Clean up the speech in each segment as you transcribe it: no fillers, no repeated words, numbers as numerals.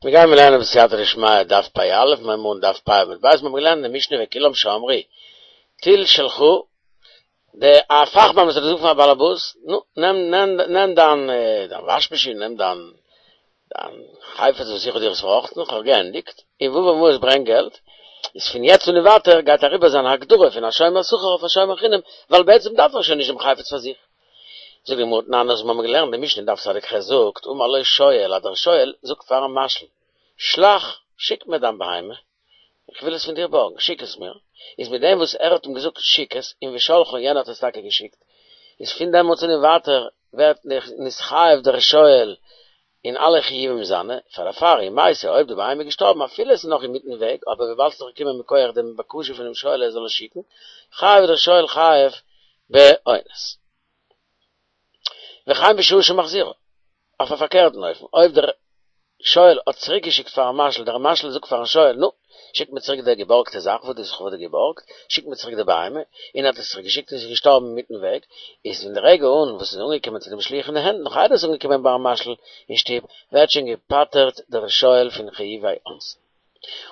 מיר גייען לערנען בסייעתא דשמיא דף פ א, מיר הייבן אן דף פ עמוד ב', מיר האבן געלערנט אין די משנה וכולם שאמרו טול שלך, די א פאכמאן וואס האט געזאגט פארן באלעבאס, נו, נעם נעם נעם דיין דיין וואש מאשין, נעם דיין דיין חפץ וואס איך האב דיר עס פארראכטן, איך האב געענדיגט, און והבא מעות ברענג געלט, איז פון יעצט און ווייטער גייט אריבער זיין הגדרה פון א שומר שכר אויף א שומר חינם, ווייל בעצם דארף ער שוין נישט דעם חפץ פאר זיך. זאגט די גמרא תנן אז מיר האבן געלערנט די משנה אין דף צדיק ח זאגט אמר לו שואל אז דער שואל זאגט פארן משאיל שלח שיק מיר דיין בהמה איך וויל עס פון דיר בארגן שיק עס מיר איז מיט דעם וואס ער האט אים געזאגט שיק עס און ושלחה און יענער האט עס טאקע געשיקט איז פון דעמאלטס און ווייטער ווערט נתחייב דער שואל אין אלע חיובים זיינע, פאר דערפאר אם מתה אויב די בהמה איז געשטארבן אפילו עס איז נאך אינמיטן וועג, אבער וויבאלד ס'איז דאך געקומען מכח דעם בקשה פונעם שואל ער זאל עס שיקן, חייב דער שואל חייב באונס. וכן בשעה שמחזירה, אויף א פארקערטן אופן, אויב דער שואל האט צוריק געשיקט פארן משאיל, דער משאיל זאגט פארן שואל, נו, שיק מיר צוריק די געבארגטע זאך וואס דו האסט כ'האב דיר געבארגט, שיק מיר צוריק די בהמה, און ער האט עס צוריק געשיקט און עס איז געשטארבן אינמיטן וועג, איז פון די רגע אן וואס עס איז אנגעקומען צו דעם שליח אין די הענט, נאך איידער עס איז אנגעקומען ביים משאיל אין שטוב, ווערט שוין געפטר'ט דער שואל פון חיובי אונסין.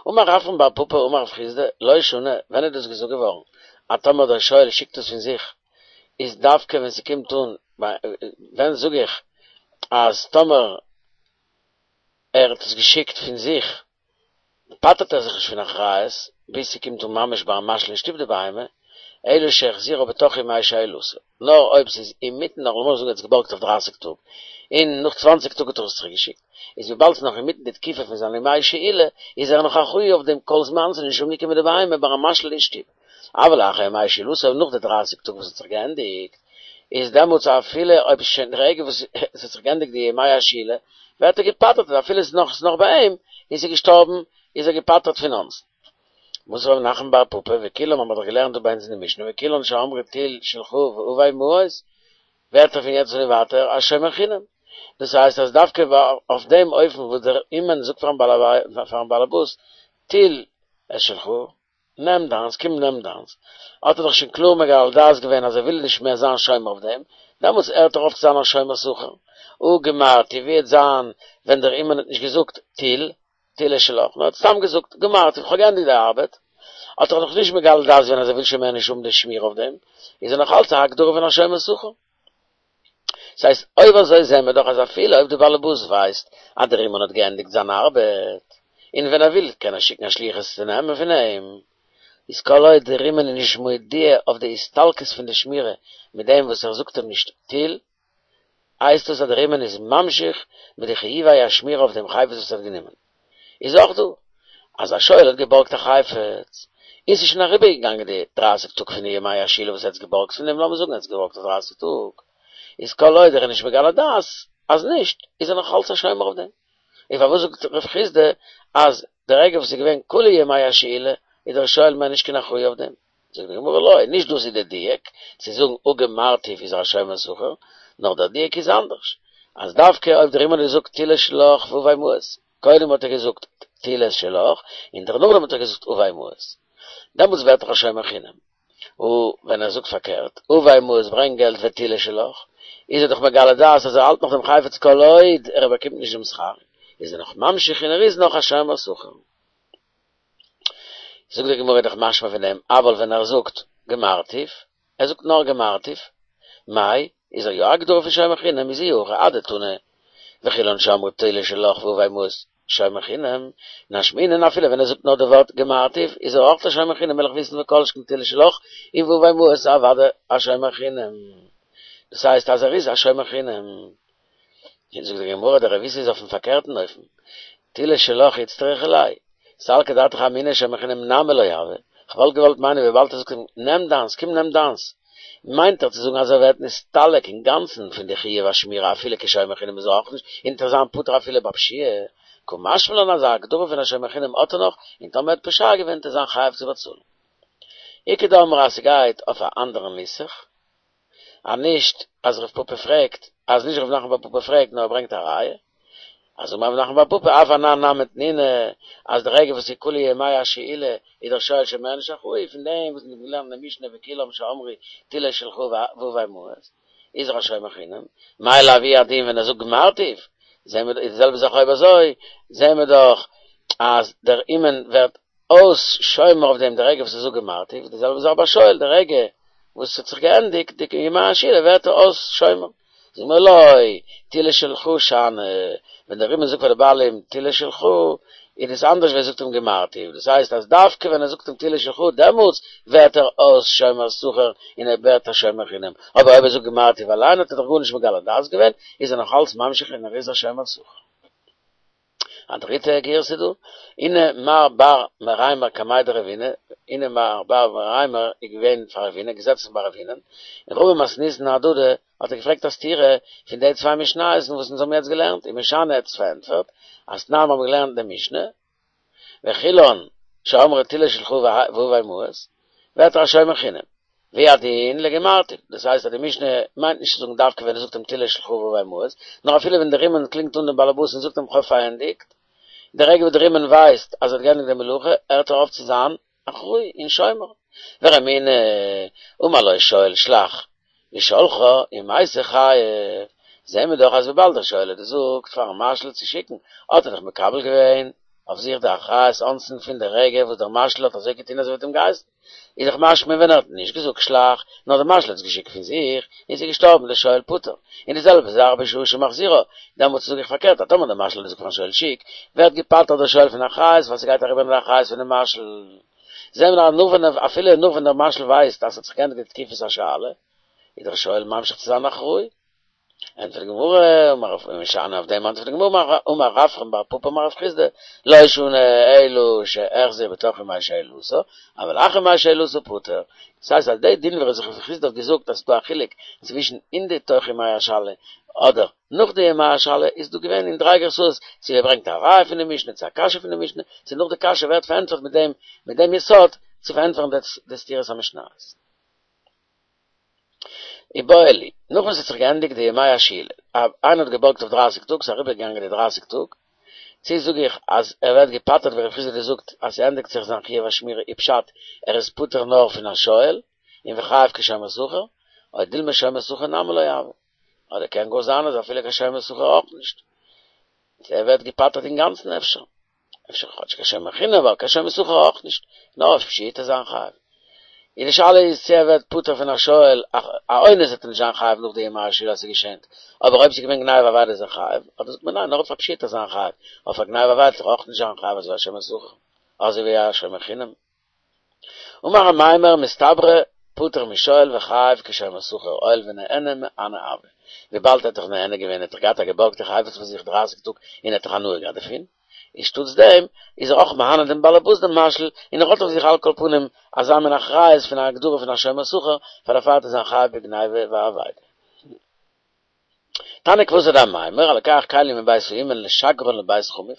אמר רפרם בר פפא אמר רב חסדא, לא שנו, ווען איז דאס געזאגט געווארן, אז טאמער דער שואל שיקט עס פון זיך, איז דווקא ווען ס'קומט אן, ווען זאג איך אז טאמער ער האט עס געשיקט פון זיך, פטר'ט ער זיך נישט פון אחריות ביז ס'קומט אן ממש ביים משאיל אין שטוב די בהמה, אלא שהחזירה בתוך ימי שאילתה, נאר אויב ס'איז אינמיטן נאך לאמיר זאגן ער האט עס געבארגט אויף דרייסיג טאג, און נאך צוואנציג טאג האט ער עס צוריק געשיקט, איז וויבאלד ס'איז נאך אינמיטן די תקופה פון זיינע ימי שאילה, איז ער נאך אחראי אויף דעם כל זמן ס'איז נישט אנגעקומען די בהמה ביים משאיל אין שטוב. אבל לאחר ימי שאילתה נאך די דרייסיג טאג וואס האט זיך געענדיגט, איז דעמאלטס אפילו אויב איז שוין די רגע וואס עס האט זיך געענדיגט די ימי השאילה, ווערט ער געפטר'ט אז אפילו עס איז נאך עס איז נאך ביי אים, און עס איז געשטארבן, איז ער געפטר'ט פון אונסין. מתיב רב נחמן בר פפא, וכולם האבן מיר דאך געלערנט דא ביי אונז אין די משנה, וכולן שאמרו טול שלך והבא מעות, ווערט ער פון יעצט און ווייטער א שומר חינם. דאס הייסט אז דווקא אויף דעם אופן וואס דער אומן זאגט פארן באלעבאס, טול את שלך, נעם דיינס, קום נעם דיינס. האט ער דאך שוין קלאר מגלה דעת געווען אז ער וויל נישט מער זיין שומר אויף דעם, דעמאלטס הערט ער אויף צו זיין א שומר שכר. הא גמרתי, ווי וועט זיין ווען דער אומן האט נישט געזאגט טול, טול את שלך, נאר האט סתם געזאגט גמרתי, איך האב געענדיגט די ארבעט, האט ער נאך נישט מגלה דעת געווען אז ער וויל שוין מער נישט האבן די שמירה אויף דעם, איז ער נאך אלץ א הגדרה פון א שומר שכר. ס'הייסט, אויב אזוי זעהן מיר דאך אז אפילו אויב די באלעבאס ווייסט אז דער אומן האט געענדיגט זיין ארבעט, און ווען ער וויל קען ער שיקן א שליח עס צו נעמען פון אים, איז כל עוד דער אומן איז נישט מודיע אויף די הסתלקות פון די שמירה מיט דעם וואס ער זאגט אים נישט טול, הייסט דאס אז דער אומן איז ממשיך מיט די חיובי השמירה אויף דעם חפץ וואס ער האט גענומען. איז אויך דא אז א שואל האט געבארגט א חפץ, און ס'איז שוין אריבערגעגאנגען די דרייסיג טאג פון די ימי השאילה וואס ער האט עס געבארגט פון דעם, לאמיר זאגן ער האט עס געבארגט אויף דרייסיג טאג, איז כל עוד ער איז נישט מגלה דעת אז נישט, איז ער נאך אלץ א שומר אויף דעם. און פארוואס זאגט רב חסדא אז די רגע וואס איז געווען כולהו ימי השאילה איז דער שואל מער נישט קיין אחראי אויף דעם? זאגט די גמרא לא, נישט דאס איז די דיוק, צו זאגן הא גמרתיו איז ער א שומר שכר, נאר דער דיוק איז אנדערש, אז דווקא אויב דער אומן האט געזאגט טול את שלך והבא מעות, קודם האט ער געזאגט טול את שלך, און דערנאכדעם האט ער געזאגט הבא מעות, דעמאלטס ווערט ער א שומר חינם, און ווען ער זאגט פארקערט, הבא מעות ברענג געלט וטול את שלך, איז ער דאך מגלה דעת אז ער האלט נאך דעם חפץ כל עוד ער באקומט נישט דעם שכר, איז ער נאך ממשיך און ער איז נאך א שומר שכר. זאגט די גמרא דאך משמע פון דעם, אבל ווען ער זאגט גמרתיו, ער זאגט נאר גמרתיו, מאי, איז ער יא א הגדרה פון שומר חינם, איז אי הכי אדתני, וכולן שאמרו טול את שלך והבא מעות שומר חינם, נשמעינן אפילו ווען ער זאגט נאר די ווארט גמרתיו, איז ער אויך א שומר חינם וויל איך וויסן וכל שכן טול את שלך און והבא מעות אוודאי א שומר חינם. דאס הייסט אז ער איז א שומר חינם. זאגט די גמרא דער רב איסי איז אויפן פארקערטן אופן, טול את שלך איצטריכא ליה, סלקא דעתך אמינא שומר חינם נמי לא הוי, כ'וואלט געוואלט מיינען וויבאלד ער זאגט אים נעם דיינס, קום נעם דיינס, מיינט ער צו זאגן אז ער ווערט נסתלק אינגאנצן פון די חיוב השמירה אפילו כשומר חינם איז ער אויך נישט און וועט ער זיין פטור אפילו ביי פשיעה, קא משמע לן אז א הגדרה פון א שומר חינם האט ער נאך, און טאמער ער האט פושע געווען וועט ער זיין חייב צו באצאלן. איכא דאמרי אז ס'גייט אויף א אנדערן נוסח. אז נישט אז רב פפא פרעגט, אז נישט רב נחמן בר פפא פרעגט נאר ער ברענגט א ראיה, אז אמר רב נחמן בר פפא אף אנן נמי תנינא, אז די רגע וואס איז כולהו ימי השאילה איז דער שואל שוין מער נישט אחראי פון דעם וואס מ'האט געלערנט אין די משנה וכולם שאמרו טול את שלך והבא מעות איז ער א שומר חינם, מאי לאו הוא הדין ווען ער זאגט גמרתיו? זעהן מיר די זעלבע זאך אויב אזוי זעהן מיר דאך אז דער אומן ווערט אויס שומר אויף דעם די רגע וואס ער זאגט גמרתי, די זעלבע זאך ביי שואל די רגע וואס ס'האט זיך געענדיגט די ימי השאלה ווערט ער אויס שומר. זאגט מען לא, טילא שלך שאני, ווען דער אומן זאגט פאר די בעלים טילא שלך, איז דאס אנדערש ווי ער זאגט אים גמרתי, דאס הייסט אז דווקא ווען ער זאגט אים טילא שלך דעמאלטס ווערט ער אויס שומר שכר און ער ווערט א שומר חינם, אבער אויב ער זאגט גמרתי אליין האט ער דאך גארנישט מגלה דעת געווען, איז ער נאך אלץ ממשיך און ער איז א שומר שכר. א דריטע גירסא דא, הנה מר בר מרימר קמיה דרבינא, הנה מר בר מרימר איז געווען פאר רבינא, געזעצן ביי רבינא'ן, און רבא מתניתין אהדדי האט ער געפרעגט א סתירה פון די צוויי משניות וואס אונז האבן יעצט געלערנט, ומשני האט עס פארענטפערט, אז תנן מיר האבן געלערנט די משנה, וכולן שאמרו טילא שלך והבא מעות, ווערט ער א שומר חינם. והוא הדין לגמרתי, דאס הייסט אז די משנה מיינט נישט צו זאגן דווקא ווען ער זאגט אים טילא שלך והבא מעות, נאר אפילו ווען דער אומן קלינגט אן דעם באלעבאס און זאגט אים כ'האב פארענדיגט, די רגע וואס דער אומן ווייסט אז ער האט געענדיגט די מלאכה, הערט ער אויף צו זיין אחראי און שומר. ורמינהו, אמר לו שואל שלח, ושלחה ומתה חייב, זעהן מיר דאך אז וויבאלד דער שואל האט געזאגט פארן משאיל צו שיקן, האט ער דאך מקבל געווען אויף זיך די אחריות אונסין פון די רגע וואס דער משאיל האט אזוי געטון אזוי ווי ער האט אים געהייסן. איז דאך משמע ווען ער האט נישט געזאגט שלח, נאר דער משאיל האט עס געשיקט פון זיך, און ס'איז געשטארבן דער שואל פטור. און די זעלבע זאך בשעה שמחזירה, דעמאלטס זאג איך פארקערט אז טאמער דער משאיל האט געזאגט פארן שואל שיק, ווערט געפטר'ט דער שואל פון אחריות ווייל ס'גייט אריבער אין די אחריות פונעם משאיל. זעהן מיר אז נאך ווען אפילו נאך ווען דער משאיל ווייסט אז ס'האט זיך געענדיגט די תקופת השאלה, איז דער שואל ממשיך צו זיין אחראי. ענטפערט די גמרא, אמר רב ומשני אויף דעם ענטפערט די גמרא, אמר רפרם בר פפא אמר רב חסדא, לא שנו אלא שהחזיר בתוך ימי שאלתו, אבל אחר ימי שאלתו פטור. דאס הייסט אז די דין ווי רב חסדא האט געזאגט אז ס'איז דא א חילוק צווישן אין די תוך ימי השאלה אדער נאך די ימי השאלה איז דא געווען אין דריי גרסאות צו ער ברענגט א ראיה פון די משנה צו א קשיא פון די משנה צו נאך די קשיא ווערט פארענטפערט מיט דעם מיט דעם יסוד צו פארענטפערן די סתירת המשניות. איבעיא להו, נאך וואס עס האט זיך געענדיגט די ימי השאילה, איינער האט געבארגט אויף דרייסיג טאג, ס'איז אריבערגעגאנגען די דרייסיג טאג, צו זאג איך אז ער ווערט געפטר'ט ווי רב חסדא זאגט אז ס'ענדיגט זיך זיין חיוב השמירה אי פשט ער איז פטור נאר פון א שואל און וחייב כשומר שכר, או דילמא שומר שכר נמי לא הוי, אדער קען גאר זיין אז אפילו קיין שומר שכר אויך נישט, ער ווערט געפטר'ט אינגאנצן אפשר. אפשר כאטש קיין שומר חינם אבער קיין שומר שכר אויך נישט, נאר אויף פשיעה וועט ער זיין חייב. און די שאלה איז צו ער ווערט פטור פון א שואל, א אונס וועט ער נישט זיין חייב נאך די ימי השאלה אז ס'איז געשענט, אבער אויב ס'איז געווען גניבה ואבידה איז ער חייב, אדער זאגט מען ניין נאר אויף א פשיעה וועט ער זיין חייב, אויף א גניבה ואבידה וועט ער אויך נישט זיין חייב אזוי ווי א שומר שכר, אזוי ווי א שומר חינם. אמר אמימר מסתברא פטור משואל וחייב כשומר שכר הואיל ונהנה מהנה הוי, וויבאלד ער האט דאך נהנה געווען האט ער געהאט א געבארגטע חפץ פאר זיך דרייסיג טאג און ער האט דאך הנאה געהאט דערפון, און שטאטס דעם איז ער אויך מהנה דעם באלעבאס דעם משאיל און ער האט אויף זיך על כל פנים אזא מין אחריות פון א הגדרה פון א שומר שכר פאר דערפאר וועט ער זיין חייב בגניבה ואבידה. תניא כוותיה דאמימר, הלוקח כלים מבית האומן לשגרן לבית חמיו,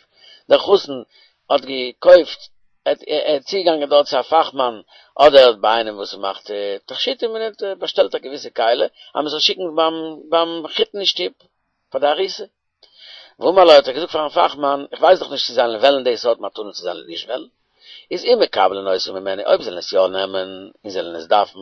דער חתן האט געקויפט, ער איז צוגעגאנגען דארט צו א פאכמאן אדער ביי איינעם וואס מאכט תכשיטים און ער האט באשטעלט א געוויסע כלי אז מען זאל שיקן ביים מחותן אין שטוב פאר די ארוסה. ואמר לו האט ער געזאגט פארן פאכמאן, איך ווייס דאך נישט צו זיי וועלן די סארט מתנה צו זיי וועלן נישט וועלן, איז אם מקבלין אותה ממני אויב זיי וועלן עס יא נעמען און זיי וועלן עס דארפן,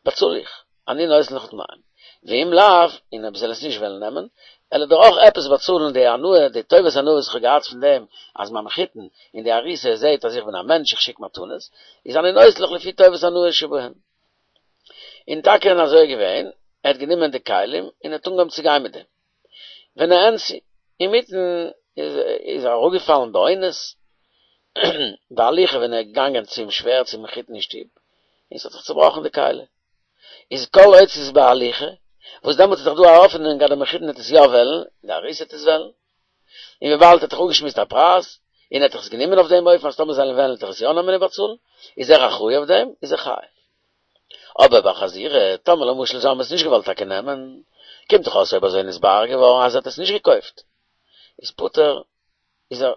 באצאל איך. אני נותן לך דמיהם. ואם לאו, און אויב זיי וועלן עס נישט וועלן נעמען, וועל איך דיר אויך עפעס באצאלן די הנאה, די טובת הנאה וואס איך האב געהאט פון דעם אז מיין מחותן און די ארוסה זעהט אז איך בין א מענטש איך שיק מתנות, איז אני נותן לך לפי טובת הנאה שבהן. און טאקע און אזוי איז געווען, ער האט גענומען די כלים און ער האט אנגעהויבן צו גיין מיט דעם. ונאנסו, אינמיטן איז ער אראפגעפאלן באונס, בהליכה ווען ער איז געגאנגען צום שווער צום מחותן אין שטוב, און ס'האט זיך צובראכן די כלי. איז כל עוד ס'איז בהליכה, וואס דעמאלטס איז דאך דא א האפענונג אז דער מחותן וועט עס יא וועלן, די ארוסה וועט עס וועלן. און וויבאלד ער האט דאך אפגעשמועסט א פרייז, און ער האט דאך עס גענומען אויף דעם אופן אז טאמער זיי וועלן וועלן וועט ער עס יא נעמען און באצאלן, איז ער אחראי אויף דעם, איז ער חייב. אבער בחזירה, טאמער למשל זיי האבן עס נישט געוואלט טאקע נעמען, קומט דאך אויס אויב אזוי נתברר געווארן אז ער האט עס נישט געקויפט, איז פטור, איז ער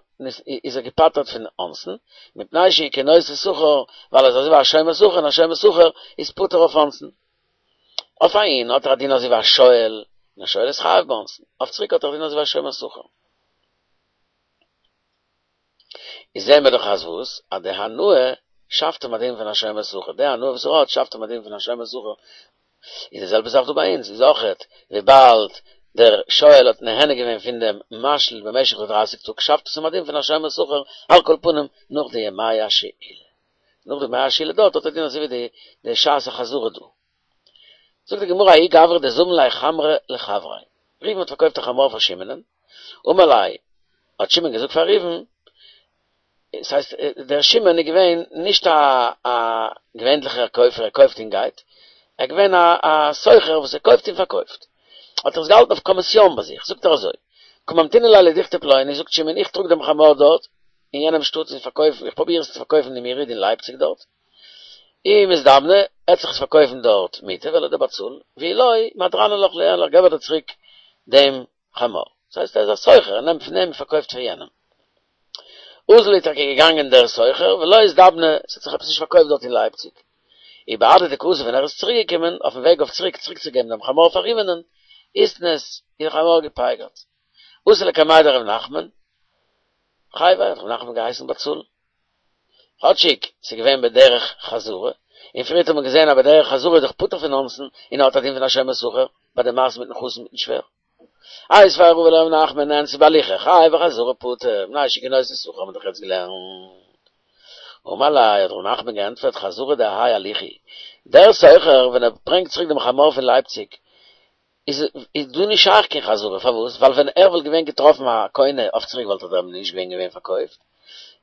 איז ער געפטר'ט פון אונסין, מפני שהוא כנושא שכר, ווייל ער איז אזוי ווי א שומר שכר און א שומר שכר איז פטור אויף אונסין. אויף אהין האט ער א דין אזוי ווי א שואל, און א שואל איז חייב באונסין, אויף צוריק האט ער א דין אזוי ווי א שומר שכר. איז זעהן מיר דאך אז וואס? אז די הנאה שאפט אים א דין פון א שומר שכר, די הנאה וואס ער האט שאפט אים א דין פון א שומר שכר, איז די זעלבע זאך דא ביי אונז, איז אויכעט וויבאלד. דער שואל האט נהנה געווען פון דעם משאיל במשך די דרייסיג טאג שאפט עס אים א דין פון א שומר שכר על כל פנים נאך די ימי השאילה. נאך די ימי השאילה דארט האט ער דין אזוי ווי די שעת החזרה דא. זאגט די גמרא ההוא גברא דזבין ליה חמרא לחבריה, ראובן האט פארקויפט א חמור פאר שמעונ'ען, אמר ליה, האט שמעון געזאגט פאר ראובן, עס הייסט דער שמעון איז געווען נישט א א געווענליכער קויפער ער קויפט און גייט, ער איז געווען א א סוחר וואס ער קויפט און פארקויפט, האט ער עס געהאלטן אויף קאמיסיאן ביי זיך, זאגט ער אזוי, קא ממתינא ליה לדוכתא פלוני, זאגט שמעון איך טראג דעם חמור דארט אין יענעם שטאט און פארקויף, איך פרוביר עס צו פארקויפן אין יריד אין לייפציג דארט, אי מזדמנא, עט זיך עס פארקויפן דארט מוטב וועל איך דיר באצאלן, ואי לא, מהדרנא לך לינך געב איך דיר צוריק דעם חמור. דאס הייסט ער איז א סוחר, ער נעמט פון אים און פארקויפט פאר יענעם. אזל איז טאקע געגאנגען דער סוחר, ולא איזדבנה, עס האט זיך עפעס נישט פארקויפט דארט אין לייפציג. ובהדי דקאתי ווען ער איז צוריק געקומען, אויפן וועג אויף צוריק צוריקצוגעבן דעם חמור פאר ראובנ'ען, איתנס, איז דער חמור געפייגערט. אתא לקמיה דרב נחמן, חייביה האט רב נחמן געהייסן באצאלן. כאטשיג ס'איז געווען בדרך חזרה, און פריערט האט מען געזען אז בדרך חזרה איז דאך פטור פון אונסין און ער האט א דין פון א שומר שכר ביי די מעשה מיטן חתן מיטן שווער. איתיביה רבא לרב נחמן נאנסה בהליכה חייב בחזרה פטור, מפני שהוא כנותן שכר האט מען דאך יעצט געלערנט. אמר ליה האט רב נחמן געענטפערט חזרה דהאי הליכה, דער סוחר ווען ער ברענגט צוריק דעם חמור פון לייפציג איז איז דא נישט שייך קיין חזרה, פארוואס? ווייל ווען ער וואלט געווען געטראפן א קונה אויף צוריק וואלט ער אים נישט געווען געווען פארקויפט.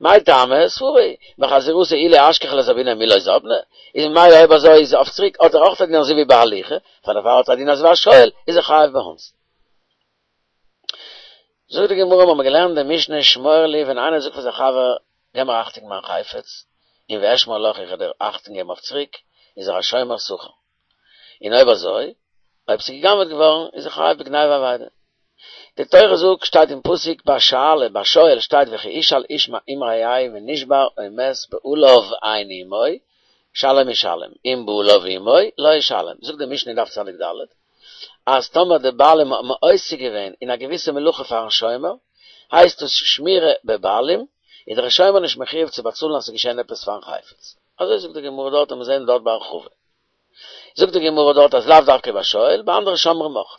מאי טעמא? סברא הוא, בחזירתו אי לא אשכחיה לזביניה מי לא זבנה, איז ממילא אויב אזוי איז אויף צוריק האט ער אויך א דין אזוי ווי בהליכה, פאר דערפאר האט ער א דין אזוי ווי א שואל, איז ער חייב באונסין. זאגט די גמרא, מ'האמיר געלערנט די משנה שמור לי ווען איינער זאגט פאר זיין חבר געב מיר אכטונג מיין חפץ, און ואשמור לך איך וועל דיר אכטונג געבן אויף צוריק, איז ער א שומר שכר. און אויב אזוי, אויב ס'איז גע'גנב'עט געווארן, איז ער חייב בגניבה ואבידה. די תורה זאגט, שטייט אין פסוק ביי שאלה, ביי שואל שטייט וכי ישאל איש עם רעהו ונשבר או מת בעליו אין עמו, שלם ישלם, אם בעליו עמו, לא ישלם. זאגט די משנה אין דף צדיק ד', אז טאמער די בעלים האבן עוסק געווען אין א געוויסע מלאכה פארן שומר, הייסט עס שמירה בבעלים, איז דער שומר נישט מחויב צו באצאלן אז ס'איז געשען עפעס פארן חפץ. אזוי זאגט די גמרא דארט און מיר זעען דארט בהרחבה. זאגט די גמרא דארט אז לאו דווקא ביי שואל, ביי אנדערע שומרים אויך.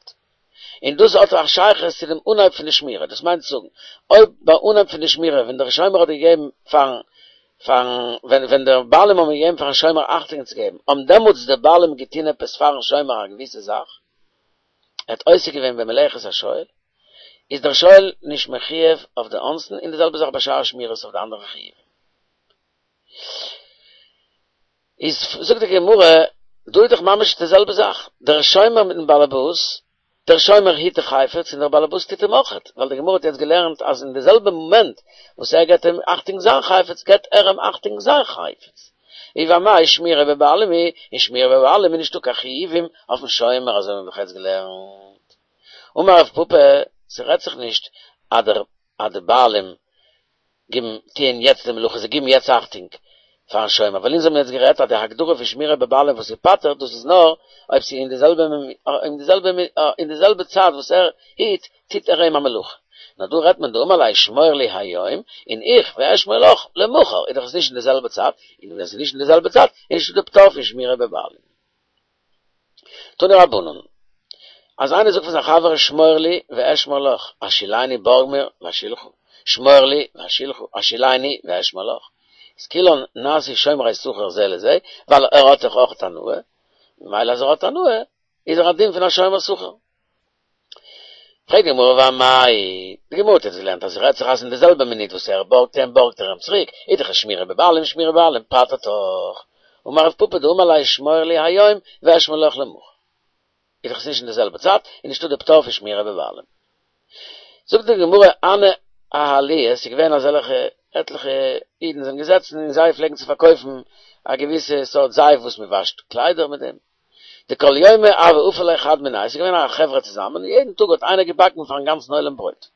און דאס האט א שייכות צו דעם אנהייב פון די שמירה, דאס מיינט צו זאגן, אויב ביי אנהייב פון די שמירה ווען דער שומר האט געגעבן פארן פארן ווען ווען די בעלים האבן געגעבן פארן שומר אכטונג צו געבן, האבן דעמאלטס די בעלים געטון עפעס פארן שומר א געוויסע זאך, ער האט עוסק געווען במלאכת השואל, איז דער שואל נישט מחויב אויף די אונסין, און די זעלבע זאך ביי שאר שמירות אויף די אנדערע חיובים. איז זאגט די גמרא, דא איז דאך ממש די זעלבע זאך, דער שומר מיטן באלעבאס, דער שומר היט די חפץ און דער באלעבאס טוט אים אויכעט, ווייל די גמרא האט יעצט געלערנט אז אין די זעלבע מאמענט וואס ער געבט אים אכטונג זיין חפץ, געבט ער אים אכטונג זיין חפץ. און ואמאי שמירה בבעלים היא, און שמירה בבעלים איז נישטא קיין חיובים אויפן שומר, אזוי האבן מיר דאך יעצט געלערנט. אמר רב פפא, ס'רעדט זיך נישט אז דער אז די בעלים גיבן טוען יעצט די מלאכה, זיי גיבן יעצט אכטונג פארן שומר, ווייל אונז האבן יעצט גערעדט אז די הגדרה פון שמירה בבעלים וואס איז פטור, דאס איז נאר אויב ס'איז אין די זעלבע אין די זעלבע אין די זעלבע צייט וואס ער היט, טוט ער אים א מלאכה. נאר דא רעדט מען דאמר ליה שמור לי היום, און איך ואשמור לך למחר, איז דאך עס נישט אין די זעלבע צייט, און ווען ס'איז נישט אין די זעלבע צייט, איז נישטא די פטור פון שמירה בבעלים. תנו רבנן, אז איינער זאגט פאר זיין חבר שמור לי ואשמור לך, השאילני בארג מיר ואשאילך, שמור לי ואשאילך, השאילני ואשמור לך, איז כולן נעשו שומרי שכר זה לזה, ווייל ער האט דאך אויך הנאה, ממילא אז ער האט הנאה, איז ער א דין פון א שומר שכר. פרעגט די גמרא ואמאי, די גמרא האט יעצט געלערנט אז ס'רעדט זיך אז אין די זעלבע מינוט וואס ער בארגט אים בארגט ער אים צוריק, איז דאך שמירה בבעלים שמירה בבעלים פטר'ט דאך, אמר רב פפא דאמר ליה שמור לי היום ואשמור לך למחר, איז דאך עס נישט אין די זעלבע צייט און נישטא די פטור פון שמירה בבעלים. זאגט די גמרא הנהו אהלויי, עס איז געווען אזעלכע עטליכע אידן זענען געזעצן און זיי פלעגן צו פארקויפן א געוויסע סארט זייף וואס מען וואשט קליידער מיט דעם, דכל יומא הוה אפי להו חד מינייהו, עס איז געווען א חברה צוזאמען, און יעדן טאג האט איינער געבאקן פארן גאנצן עולם ברויט.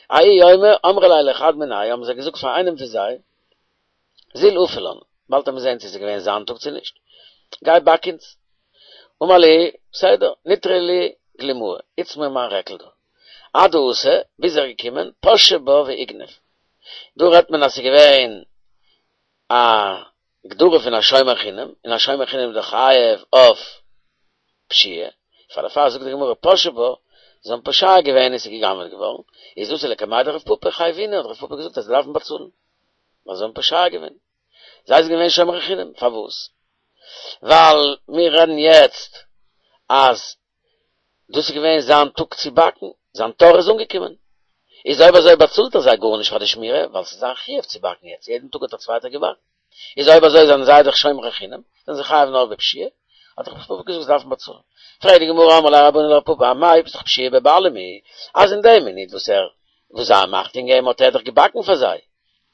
ההוא יומא אמרי ליה לחד מינייהו, האבן זיי געזאגט פאר איינעם פון זיי, זיל אפי לן, באלד וועט מען זען צו עס איז געווען זיין טאג צו נישט, גיי באק אונז. אמר להו, בסדר, נטרו לי גלימאי, היטס מיר מיין רעקל דא. עד דאתא, ביז ער איז געקומען, פשע בה ואיגנב. דא רעדט מען אז עס איז געווען א הגדרה פון א שומר חינם, און א שומר חינם איז דאך חייב אויף פשיעה, פאר דערפאר זאגט די גמרא פשע בה, זיי האבן פושע געווען און ס'איז גע'גנב'עט געווארן, איז אתו לקמיה דרב פפא חייבינהו, האט רב פפא געזאגט אז זיי דארפן באצאלן, ווייל זיי האבן פושע געווען. זיי זענען געווען שומרי חינם, פארוואס? ווייל מיר רעדן יעצט אז דאס איז געווען זיין טאג צו באקן, זיין תור איז אנגעקומען, איז אויב אזוי באצאלט ער זיי גארנישט פאר די שמירה, ווייל ס'איז זיין חיוב צו באקן יעצט, יעדן טאג האט א צווייטער געבאקן, איז אויב אזוי זענען זיי דאך שומרי חינם, זענען זיי חייב נאר בפשיעה, האט רב פפא געזאגט זיי דארפן באצאלן. פרעגט די גמרא אמרי ליה רבנן לרב פפא אמאי ביסט דאך פשיעה בבעלים היא, אז אין די מינוט וואס ער וואס זיי האבן אכטונג געגעבן האט ער דאך געבאקן פאר זיי,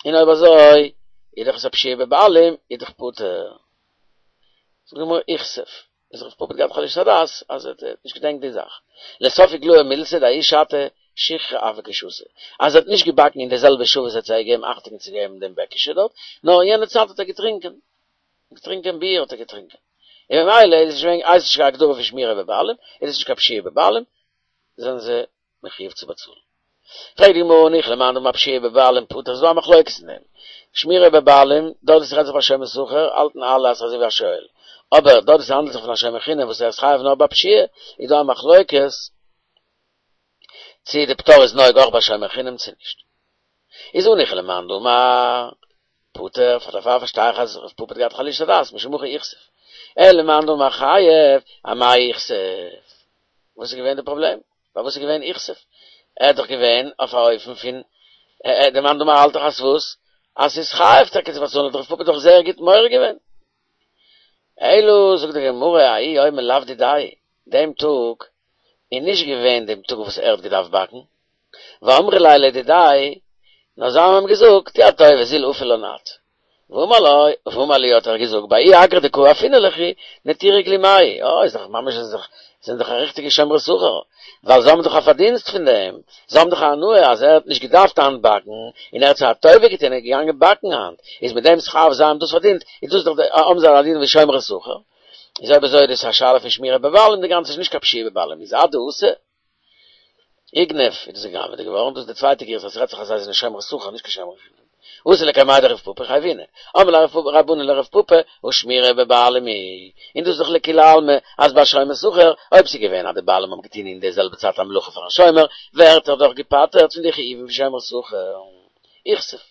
און אויב אזוי איז דאך עס א פשיעה בבעלים איז דאך פטור. זאגט די גמרא איכסיף, איז רב פפא האט געהאט חלישות הדעת אז ער האט נישט געדענקט די זאך. לסוף איגלאי מילתא דההיא שעתא שיכרא הוה קא שתי, אז ער האט נישט געבאקן אין די זעלבע שעה וואס ער האט זיי געגעבן אכטונג צו געבן דעם בעקישע דארט, נאר אין יענע צייט האט ער געטרינקען. געטרינקען ביר האט ער געטרינקען. און ממילא איז עס נישט געווען, הייסט נישט קיין הגדרה פון שמירה בבעלים, איז עס נישט קיין פשיעה בבעלים, זענען זיי מחויב צו באצאלן. פרעגט די גמרא הניחא למאן דאמר פשיעה בבעלים פטור, ס'איז דא א מחלוקת אין דעם. שמירה בבעלים, דארט וואו ס'רעדט זיך ביי שומר שכר, האלטן אלע אז ס'איז אזוי ווי א שואל. אבער דארט וואו ס'האנדלט זיך פון א שומר חינם וואס ער איז חייב נאר ביי פשיעה, איז דא א מחלוקת צי די פטור איז נוהג אויך ביי שומר חינם צי נישט. איז הניחא למאן דאמר פטור, פאר דערפאר פארשטיי איך אז רב פפא האט געהאט חלישות הדעת משום הכי איכסיף. אלא למאן דאמר חייב, אמאי איכסיף? וואס איז געווען די פראבלעם? פארוואס איז געווען איכסיף? ער האט דאך געווען אויף א אופן פון די מאן דאמר האלט דאך אז וואס? אז ס'איז חייב טאקע צו באצאלן האט רב פפא דאך זייער גוט מורה געווען. אלא זאגט די גמרא ההוא יומא לאו דידיה, דעם טאג איז נישט געווען דעם טאג וואס ער האט געדארפט באקן, ואמרי ליה לדידיה, נאר זיי האבן אים געזאגט, טו א טובה זיל אפי לן את. ואמר לו, ואמר להו האט ער געזאגט, בההוא אגרא דקא אפינא לכו, נטירו גלימאי, אה, איז דאך ממש איז דאך, זענען דאך א ריכטיגע שומרי שכר, ווייל זיי האבן דאך א פארדינסט פון דעם, זיי האבן דאך א הנאה אז ער האט נישט געדארפט היינט באקן, און ער האט זיי א טובה געטון און איז געגאנגען באקן היינט, איז מיט דעם שכר וואס זיי האבן דאס פארדינט, איז דאס דאך די, האבן זיי א דין ווי שומרי שכר. איז אויב אזוי איז דאס א שאלה פון שמירה בבעלים, די גאנצע איז נישט קיין פשיעה בבעלים, איז אדאתא. איגנב איז דאס גע'גנב'עט געווארן, דאס איז די צווייטע גירסא אז ס'רעדט זיך אז זיי זענען שומרי שכר נישט קיין שומרי חינם. אתו לקמיה דרב פפא חייבינהו, אמרי ליה רבנן לרב פפא הא שמירה בבעלים היא, און דאס איז דאך לכולי עלמא אז ביי שומר שכר, אויב ס'איז געווען אז די בעלים האבן געטון אין די זעלבע צייט א מלאכה פארן שומר, ווערט ער דאך געפטר'ט פון די חיובים פון שומר שכר. איכסיף.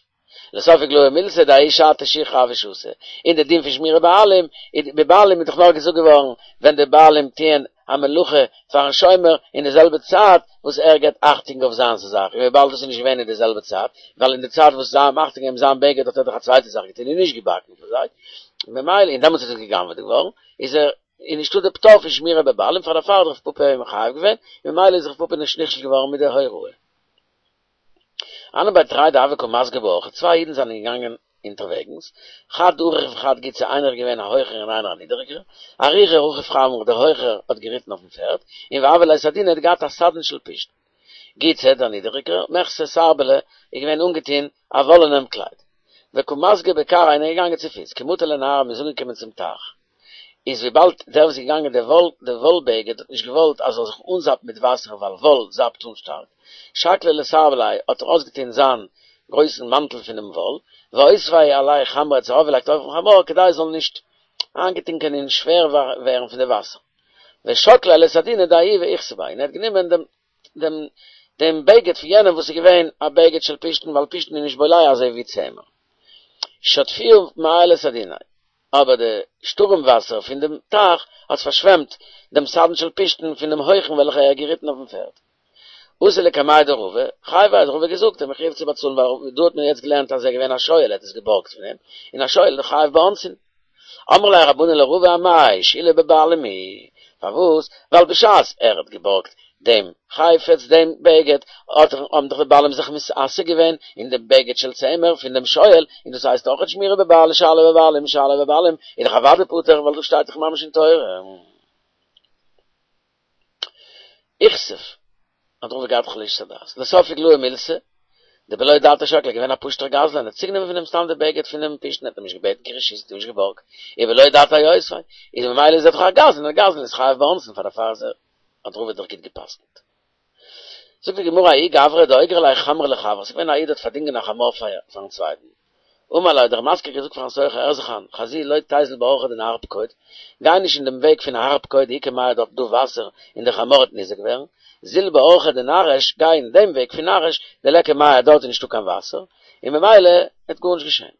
לסוף איגלאי מילתא דההיא שעתא שיכרא הוה שתי, און די דין פון שמירה בעלים, בבעלים איז דאך נאר געזאגט געווארן ווען די בעלים טוען א מלאכה פארן שומר אין די זעלבע צייט וואס ער געבט אכטונג אויף זיינס א זאך, און וויבאלד דאס איז נישט געווען אין די זעלבע צייט, ווייל אין די צייט וואס זיי האבן אכטונג געגעבן זיין בגד האט ער דאך א צווייטע זאך געטון און נישט געבאקן פאר זיי, ממילא און דעמאלטס איז עס גע'גנב'עט געווארן, איז ער איז נישטא די פטור פון שמירה בבעלים פאר דערפאר האט רב פפא אים מחייב געווען, ממילא איז רב פפא נישט נכשל געווארן מיט די הוראה. הנהו בי תרי דהוו קא מסגי באורחא, צוויי אידן זענען געגאנגען אונטערוועגנס, חד אריך וחד גוצא, איינער איז געווען א הויכער און איינער א נידעריגער, אריכא רכיב חמרא, דער הויכער האט געריטן אויפן פערד, און והוה ליה סדינא האט געהאט א סדין של פשתן. גוצא, דער נידעריגער, מיכסי סרבלא, איז געווען אנגעטון א וואלענעם קלייד. וקא מסגי בכרעיה און ער איז געגאנגען צופיס, כי מטו לנהרא מ'איז אנגעקומען צום טייך. איז וויבאלד דער וואס איז געגאנגען די וואל די וואל בגד האט נישט געוואלט אז זאל זיך אנזאפן מיט וואסער ווייל וואל זאפט אן שטארק, שקליה לסרבליה האט ער אויסגעטון זיין גרויסן מאנטל פונעם וואל, ואותביה עלי חמרא האט עס ארויפגעלייגט אויפן חמור כדי עס זאל נישט איינגעטונקען און שווער ווערן פון די וואסער, ושקליה לסדינא דההוא ואיכסי ביה און ער האט גענומען דעם דעם דעם בגד פון יענעם וואס איז געווען א בגד של פשתן ווייל פשתן איז נישט בולע אזוי ווי צמר. שטפוה מיא לסדיניה. אבער די שטורעם וואסער פון דעם טייך האט פארשוועמט דעם סדין של פשתן פון דעם הויכן וועלכער ער האט געריטן אויפן פערד. אתו לקמיה דרבא, חייביה האט רבא געזאגט ער איז מחויב צו באצאלן ווייל דא האט מען יעצט געלערנט אז ער איז געווען א שואל ער האט עס געבארגט פון אים, און א שואל איז חייב באונסין. אמרי ליה רבנן לרבא אמאי שאילה בבעלים היא, פארוואס? ווייל בשעת ער האט געבארגט דעם חפץ דעם בגד, האט האבן דאך די בעלים זיך מתעסק געווען אין דעם בגד של צמר פון דעם שואל, און דאס הייסט אויך שמירה בבעלים שאלה בבעלים שאלה בבעלים, איז דאך אוודאי פטור ווייל דאס שטייט דאך ממש אין תורה. איכסיף, האט רבא געהאט חלישת הדעת. לסוף איגלאי מילתא, דבלא דעתיה שקליה, געווען א פשוטער גזלן, ער האט צוגענומען פון אים סתם די בגד פונעם פשתן, ער האט אים נישט געבעטן קיין רשות, האט אים נישט געבארגט, ובלא דעתיה אותביה, איז ממילא איז ער דאך א גזלן, א גזלן איז חייב באונסין פאר דערפאר איז ער האט רבא דאך גוט גע'פסק'נט. זאגט די גמרא ההוא גברא דאוגר ליה חמרא לחבריה, ס'איז געווען א איד האט פארדינגען א חמור פארן צווייטן. אמר ליה האט דער משכיר געזאגט פארן שוכר הער זיך איין, חזי לא תיזיל באורחא דנהר פקוד, גיי נישט אין דעם וועג פון נהר פקוד דאיכא מיא דארט דא וואסער און דער חמור וועט ניזוק ווערן, זיל באורחא דנרש, גיי אין דעם וועג פון נרש, דליכא מיא דארט איז נישטא קיין וואסער, און ממילא וועט גארנישט געשען.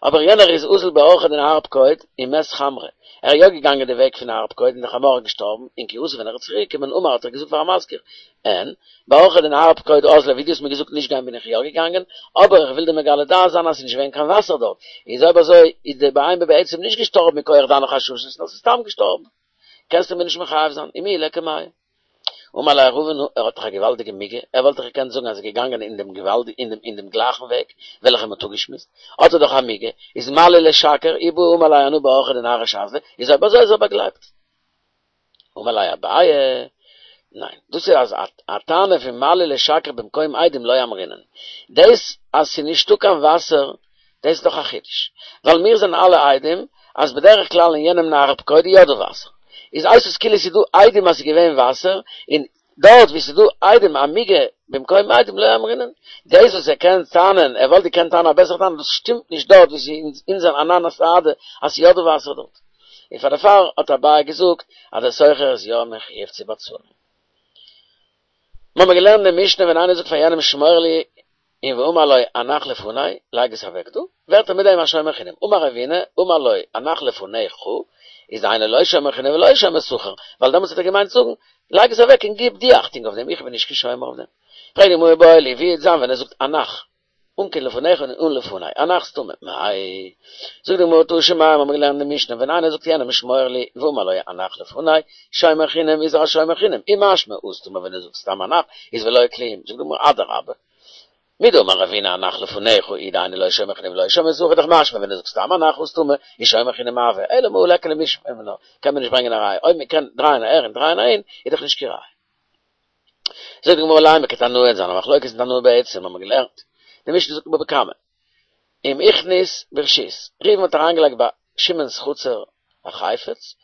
אבער יענער איז אזל באורחא דנהר פקוד ומת חמרא, ער איז יא געגאנגען די וועג פון נהר פקוד און די חמור איז געשטארבן, און כי אתא ווען ער איז צוריק געקומען אמר האט ער געזאגט פארן משכיר, אין, באורחא דנהר פקוד אזלי ווי דו האסט מיר געזאגט נישט גיין בין איך יא געגאנגען, אבער איך וויל דיר מגלה דעת זיין אז ס'איז נישט געווען קיין וואסער דארט, איז אויב אזוי איז די בהמה בעצם נישט געשטארבן מכח דיינע חששות נאר ס'איז סתם געשטארבן, קענסטו מיר נישט מחייב זיין, ומיהו ליכא מיא. אמר ליה רבא נו, ער האט דאך א געוואלדיגע מיגו, ער וואלט דאך געקענט זאגן אז ער איז געגאנגען אין דעם געוואלד אין דעם אין דעם גלייכן וועג וועלכע מ'האט אפגעשמועסט, האט ער דאך א מיגו, איז מה לי לשקר, אי בעי אמר ליה אנא באורחא דנרש אזלי, איז אויב אזוי איז ער באגלייבט. אמר ליה אביי, ניין, דאס איז אז א טענה פון מה לי לשקר במקום עדים לא אמרינן. דאס אז ס'איז נישטא קיין וואסער, דאס איז דאך א חידוש. ווייל מיר זענען אלע עדים אז בדרך כלל אין יענעם נהר פקוד איז יא דא וואסער. איז הייסט עס כאילו ס'איז דא עדים אז ס'איז געווען וואסער, און דארט וואו ס'איז דא עדים א מיגו במקום עדים לא אמרינן. דאס וואס ער קען טענה'ן, ער וואלט געקענט טענה'ן א בעסערע טענה, דאס שטימט נישט דארט וואו ס'איז אונזער אנן סהדי אז ס'איז יא דא וואסער דארט. און פאר דערפאר האט אביי געזאגט אז דער שוכר איז יא מחויב צו באצאלן. מ'האמיר געלערנט אין משנה ווען איינער זאגט פאר יענעם שמור לי און ואמר לו הנח לפני, לייג עס אוועק דא, ווערט ער מיט דעם א שומר חינם, אמר רבינא, אמר לו הנח לפניך, איז אינו לא שומר חינם ולא שומר שכר, ווייל דעמאלטס האט ער געמיינט זאגן, לייג עס אוועק און גיב דו אכטונג אויף דעם, איך בין נישט קיין שומר אויף דעם. פרעגט די גמרא איבעיא להו, ווי וועט זיין ווען ער זאגט הנח, אן קיין לפניך און אן לפני, הנח סתמא, מאי? זאגט די גמרא תא שמע, מיר האבן געלערנט אין די משנה, ווען איינער זאגט יענעם שמור לי, ואמר לו הנח לפני, שומר חינם איז ער א שומר חינם, אי משמע הא סתמא ווען ער זאגט סתם הנח איז ולא כלום, זאגט די גמרא אדרבה, מדאמר רבינא הנח לפניך הוא דאינו לא שומר חינם ולא שומר שכר דאך משמע ווען ער זאגט סתם הנח הא סתמא איז שומר חינם הוי, אלא מהא ליכא למשמע מינה, קען מען נישט ברענגען א ראיה, אויב מען קען דרייען אהער און דרייען אהין איז דאך נישט קיין ראיה. זאגט די גמרא לימא כתנאי אין זיין א מחלוקת אין תנאי בעצים האבן מיר געלערנט, די משנה זאגט אין בבא קמא, אם הכניס ברשות, ראובן האט אריינגעלייגט ביי שמעון'ס חצר א חפץ,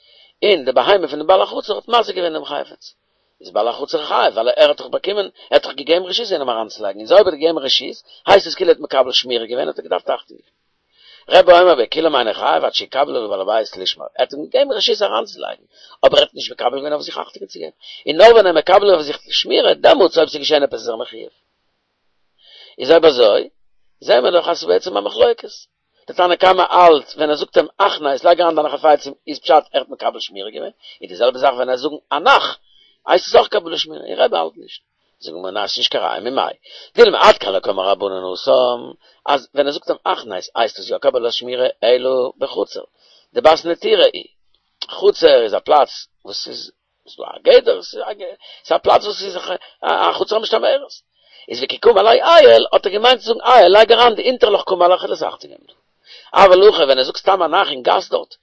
און די בהמה פון די בעל החצר האט מזיק געווען דעם חפץ, איז בעל החצר חייב, ווייל ער האט דאך באקומען, ער האט דאך געגעבן רשות איינעם אריינצולייגן, און אויב ער האט געגעבן רשות, הייסט עס כאילו ער האט מקבל שמירה געווען, האט ער געדארפט אכטונג געבן. רבי אומר בכולם אינו חייב עד שיקבל עליו בעל הבית לשמור, ער האט אים געגעבן רשות אריינצולייגן, אבער ער האט נישט מקבל געווען אויף זיך אכטונג צו געבן, און נאר ווען ער מקבל אויף זיך שמירה, דעמאלטס אויב ס'איז געשען עפעס איז ער מחויב. איז אויב אזוי, זעהן מיר דאך אז ס'איז בעצם א מחלוקת. די תנא קמא האלט ווען ער זאגט אים הכנס לייג אריין דיינע חפצים איז פשט ער האט מקבל שמירה געווען, און די זעלבע זאך ווען ער זאגן הנח הייסט עס אויך קבלת שמירה, און רבי האלט נישט. זאגט די גמרא ניין ס'נישט קיין ראיה ממאי דילמא עד כאן לא קאמרי רבנן התם אז ווען ער זאגט אים הכנס הייסט עס יא קבלת שמירה אלא בחצר דבת נטירה היא חצר איז א פלאץ וואס איז ס'איז דא א גדר, ס'איז א פלאץ וואס איז א חצר המשתמרת. איז וכי קאמר ליה עייל, האט ער געמיינט צו זאגן עייל, לייג אריין די הינטערלעך קאמר לך כ'וועל עס אכטונג געבן דא. אבל הכא ווען ער זאגט סתם הנח אין גאס דארט,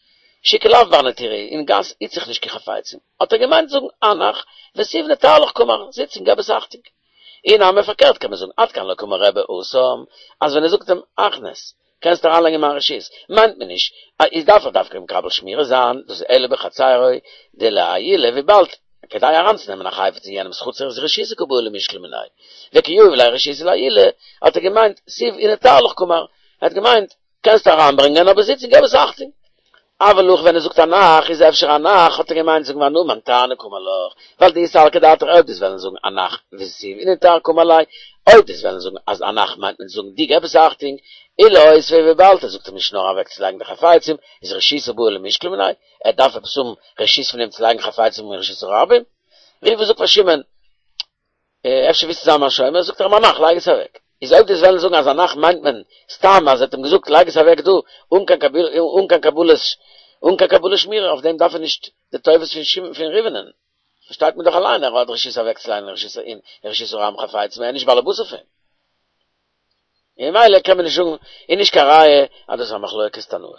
שוקא לאו בר נטירה, אין גאס היט זיך נישט קיין חפצים, האט ער געמיינט צו זאגן הנח, ותיב נטר לך קאמר, זיץ און געב עס אכטונג. אי נמי פארקערט קען מען זאגן עד כאן לא קאמר רבי התם, אז ווען ער זאגט אים הכנס, קענסט אריינלייגן אין מיין רשות, מיינט מען נישט אז דארף ער דווקא מקבל שמירה זיין, דאס איז אלא בחצירו דלעיולי וויבאלד כדי אריינצונעמען א חפץ אין יענעמס חצר איז רשותא קבעי למשקל מיניה, וכי יהיב ליה רשותא לעיולי, האט ער געמיינט תיב ונטר לך קאמר, ער האט געמיינט קענסט אריינברענגען אבער זיץ און געב עס אכטונג. אבל הכא ווען ער זאגט הנח איז אפשר הנח האט ער געמיינט זאגן ואנא מנטרנא קאמר לך, ווייל דאי סלקא דעתך אויב דו'סט וועלן זאגן הנח ותיב ונטר קאמר ליה, אויב דו'סט וועלן זאגן אז הנח מיינט מען זאגן דו געב עס אכטונג, אי לאותביה וויבאלד ער זאגט אים נישט נאר אוועקצולייגן די חפצים, איז רשותא בעי למשקל מיניה, ער דארף עפעס האבן רשות פון אים צו לייגן חפצים אין רשות הרבים? ראובן זאגט פאר שמעון, אפשר ווילסטו זיין מיין שומר? זאגט ער אים הנח, לייג עס אוועק. איז אויב דו'סט וועלן זאגן אז הנח מיינט מען סתם אז ער האט אים געזאגט לייג עס אוועק דא אן קיין אן קיין קבלת אן קיין קבלת שמירה אויף דעם דארף ער נישט די טובות פון שמעון פון ראובנ'ען. פארשטייט מען דאך אליין ער האט רשות אוועקצולייגן אין רשות אין רשות הרבים חפצים ער איז נישט באלעבאס אויף אים. און ממילא קען מען נישט זאגן איז נישט קיין ראיה אז דאס איז א מחלוקת תנאים.